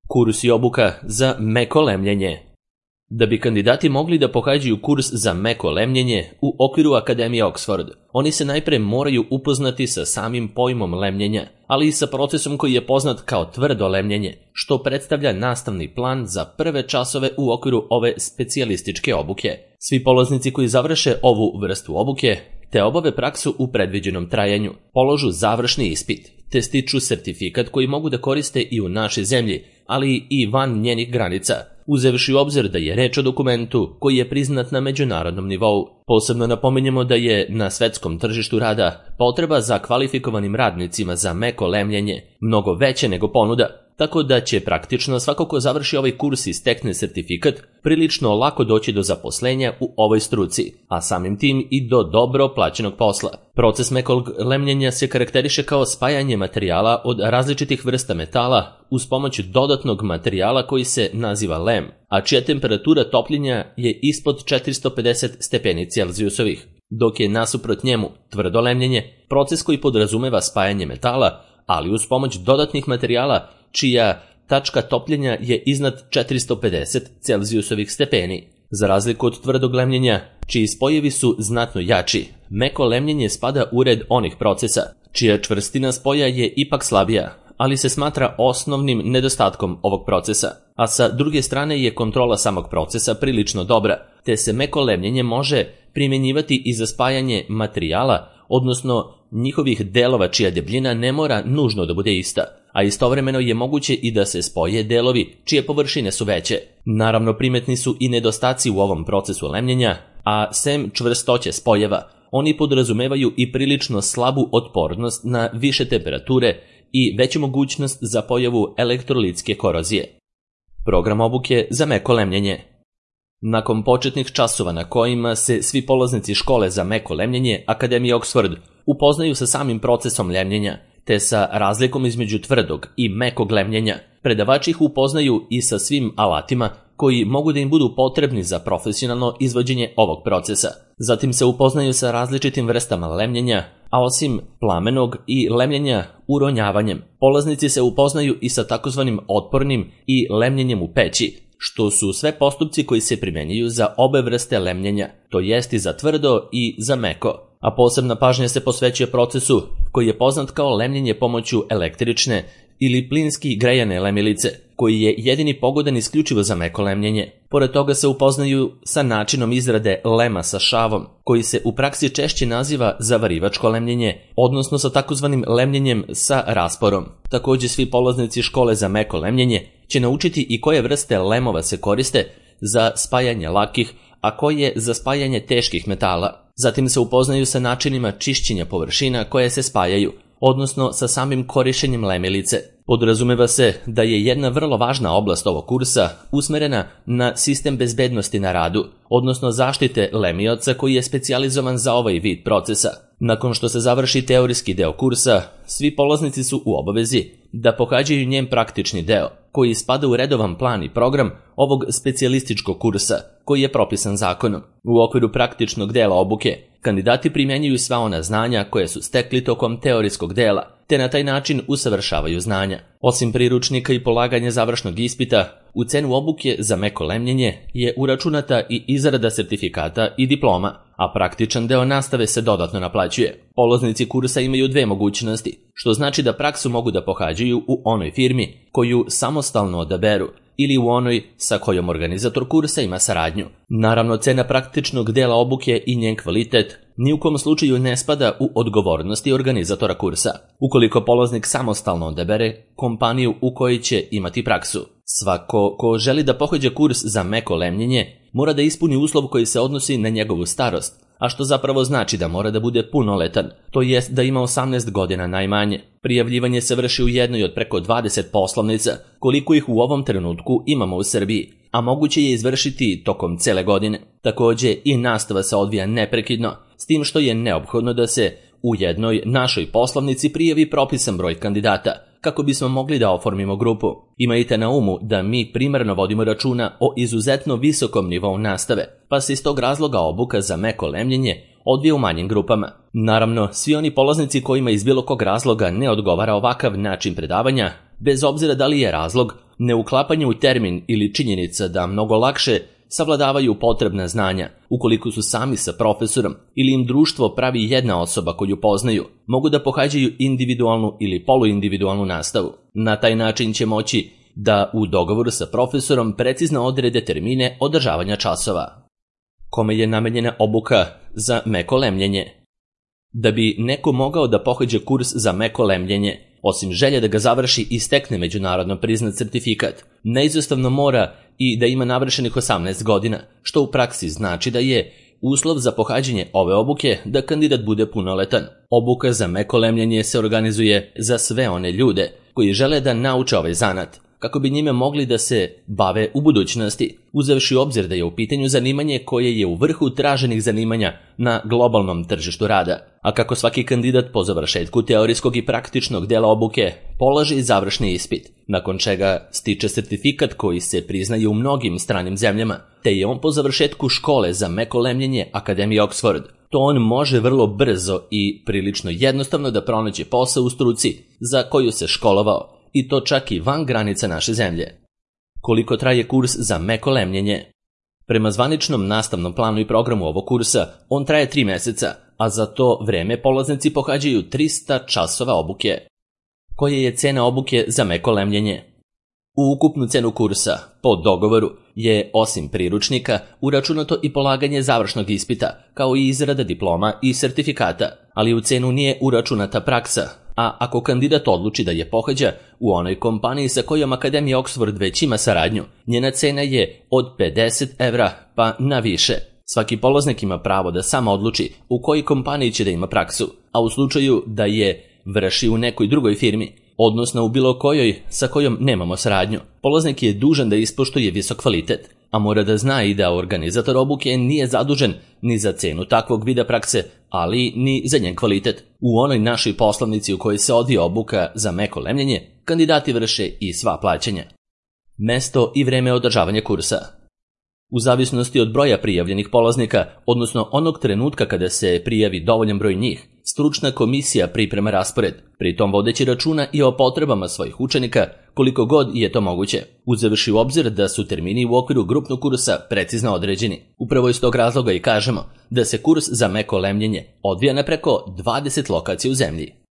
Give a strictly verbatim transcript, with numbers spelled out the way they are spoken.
Kurs i obuka za meko lemljenje. Da bi kandidati mogli da pohađaju kurs za meko lemljenje u okviru Akademije Oxford, oni se najpre moraju upoznati sa samim pojmom lemljenja, ali i sa procesom koji je poznat kao tvrdo lemljenje, što predstavlja nastavni plan za prve časove u okviru ove specijalističke obuke. Svi polaznici koji završe ovu vrstu obuke te obave praksu u predviđenom trajanju, položu završni ispit, te stiču sertifikat koji mogu da koriste i u našoj zemlji, ali i van njenih granica, uzevši u obzir da je reč o dokumentu koji je priznat na međunarodnom nivou. Posebno napominjemo da je na svetskom tržištu rada potreba za kvalifikovanim radnicima za meko lemljenje mnogo veće nego ponuda, tako da će praktično svako ko završi ovaj kurs i stekne sertifikat prilično lako doći do zaposlenja u ovoj struci, a samim tim i do dobro plaćenog posla. Proces mekog lemljenja se karakteriše kao spajanje materijala od različitih vrsta metala uz pomoć dodatnog materijala koji se naziva lem, a čija temperatura topljenja je ispod četiristo pedeset stepeni Celzijusovih, dok je nasuprot njemu tvrdo lemljenje proces koji podrazumeva spajanje metala, ali uz pomoć dodatnih materijala čija tačka topljenja je iznad četiristo pedeset Celzijusovih stepeni. Za razliku od tvrdog lemljenja, čiji spojevi su znatno jači, meko lemljenje spada u red onih procesa, čija čvrstina spoja je ipak slabija, ali se smatra osnovnim nedostatkom ovog procesa, a sa druge strane je kontrola samog procesa prilično dobra, te se meko lemljenje može primjenjivati i za spajanje materijala, odnosno njihovih delova čija debljina ne mora nužno da bude ista, a istovremeno je moguće i da se spoje delovi čije površine su veće. Naravno, primetni su i nedostaci u ovom procesu lemljenja, a sem čvrstoće spojeva, oni podrazumevaju i prilično slabu otpornost na više temperature i veću mogućnost za pojavu elektrolitske korozije. Program obuke za meko lemljenje. Nakon početnih časova na kojima se svi polaznici škole za meko lemljenje Akademije Oxford upoznaju sa samim procesom lemljenja, te sa razlikom između tvrdog i mekog lemljenja, predavači ih upoznaju i sa svim alatima koji mogu da im budu potrebni za profesionalno izvođenje ovog procesa. Zatim se upoznaju sa različitim vrstama lemljenja, a osim plamenog i lemljenja uronjavanjem, polaznici se upoznaju i sa takozvanim otpornim i lemljenjem u peći, što su sve postupci koji se primenjuju za obe vrste lemljenja, to jest i za tvrdo i za meko. A posebna pažnja se posvećuje procesu koji je poznat kao lemljenje pomoću električne ili plinski grejane lemilice, koji je jedini pogodan isključivo za meko lemljenje. Pored toga se upoznaju sa načinom izrade lema sa šavom, koji se u praksi češće naziva zavarivačko lemljenje, odnosno sa takozvanim lemljenjem sa rasporom. Također svi polaznici škole za meko lemljenje će naučiti i koje vrste lemova se koriste za spajanje lakih, a koje za spajanje teških metala. Zatim se upoznaju sa načinima čišćenja površina koje se spajaju, odnosno sa samim korišćenjem lemilice. Podrazumeva se da je jedna vrlo važna oblast ovog kursa usmerena na sistem bezbednosti na radu, odnosno zaštite lemioca koji je specijalizovan za ovaj vid procesa. Nakon što se završi teorijski deo kursa, svi polaznici su u obavezi da pohađaju njen praktični deo, koji spada u redovan plan i program ovog specijalističkog kursa, koji je propisan zakonom. U okviru praktičnog dela obuke, kandidati primjenjuju sva ona znanja koje su stekli tokom teorijskog dela, te na taj način usavršavaju znanja. Osim priručnika i polaganja završnog ispita, u cenu obuke za meko lemljenje je uračunata i izrada sertifikata i diploma, a praktičan deo nastave se dodatno naplaćuje. Polaznici kursa imaju dve mogućnosti, što znači da praksu mogu da pohađaju u onoj firmi koju samostalno odaberu ili u onoj sa kojom organizator kursa ima saradnju. Naravno, cena praktičnog dela obuke i njen kvalitet ni u kom slučaju ne spada u odgovornosti organizatora kursa, ukoliko polaznik samostalno odabere kompaniju u kojoj će imati praksu. Svako ko želi da pohađa kurs za meko lemljenje mora da ispuni uslov koji se odnosi na njegovu starost, a što zapravo znači da mora da bude punoletan, to jest da ima osamnaest godina najmanje. Prijavljivanje se vrši u jednoj od preko dvadeset poslovnica, koliko ih u ovom trenutku imamo u Srbiji, a moguće je izvršiti tokom cele godine. Također i nastava se odvija neprekidno, s tim što je neophodno da se u jednoj našoj poslovnici prijavi propisan broj kandidata, kako bismo mogli da oformimo grupu. Imajte na umu da mi primarno vodimo računa o izuzetno visokom nivou nastave, pa se iz tog razloga obuka za meko lemljenje odvija u manjim grupama. Naravno, svi oni polaznici kojima iz bilo kog razloga ne odgovara ovakav način predavanja, bez obzira da li je razlog neuklapanje u termin ili činjenica da mnogo lakše savladavaju potrebna znanja ukoliko su sami sa profesorom ili im društvo pravi jedna osoba koju poznaju, mogu da pohađaju individualnu ili poluindividualnu nastavu. Na taj način će moći da u dogovoru sa profesorom precizno odrede termine održavanja časova. Kome je namenjena obuka za meko lemljenje? Da bi neko mogao da pohađa kurs za meko lemljenje, osim želje da ga završi i stekne međunarodno priznat sertifikat, neizostavno mora i da ima navršenih osamnaest godina, što u praksi znači da je uslov za pohađanje ove obuke da kandidat bude punoletan. Obuka za meko lemljenje se organizuje za sve one ljude koji žele da nauče ovaj zanat, kako bi njime mogli da se bave u budućnosti, uzevši u obzir da je u pitanju zanimanje koje je u vrhu traženih zanimanja na globalnom tržištu rada, a kako svaki kandidat po završetku teorijskog i praktičnog dela obuke polaže završni ispit, nakon čega stiče sertifikat koji se priznaje u mnogim stranim zemljama, te je on po završetku škole za meko lemljenje Akademije Oxford. To on može vrlo brzo i prilično jednostavno da pronađe posao u struci za koju se školovao, i to čak i van granica naše zemlje. Koliko traje kurs za meko lemljenje? Prema zvaničnom nastavnom planu i programu ovog kursa, on traje tri meseca, a za to vreme polaznici pohađaju trista časova obuke. Koja je cena obuke za meko lemljenje? U ukupnu cenu kursa, po dogovoru, je osim priručnika uračunato i polaganje završnog ispita, kao i izrada diploma i sertifikata, ali u cenu nije uračunata praksa, a ako kandidat odluči da je pohađa u onoj kompaniji sa kojom Akademija Oxford već ima saradnju, njena cena je od pedeset evra pa na više. Svaki polaznik ima pravo da sam odluči u kojoj kompaniji će da ima praksu, a u slučaju da je vrši u nekoj drugoj firmi, odnosno u bilo kojoj sa kojom nemamo saradnju, polaznik je dužan da ispoštuje visok kvalitet, a mora da zna i da organizator obuke nije zadužen ni za cenu takvog vida prakse, ali ni za njen kvalitet. U onoj našoj poslovnici u kojoj se odvija obuka za meko lemljenje, kandidati vrše i sva plaćanja. Mesto i vreme održavanja kursa. U zavisnosti od broja prijavljenih polaznika, odnosno onog trenutka kada se prijavi dovoljan broj njih, stručna komisija priprema raspored, pritom vodeći računa i o potrebama svojih učenika koliko god je to moguće, uzevši u obzir da su termini u okviru grupnog kursa precizno određeni. Upravo iz tog razloga i kažemo da se kurs za meko lemljenje odvija na preko dvadeset lokacija u zemlji.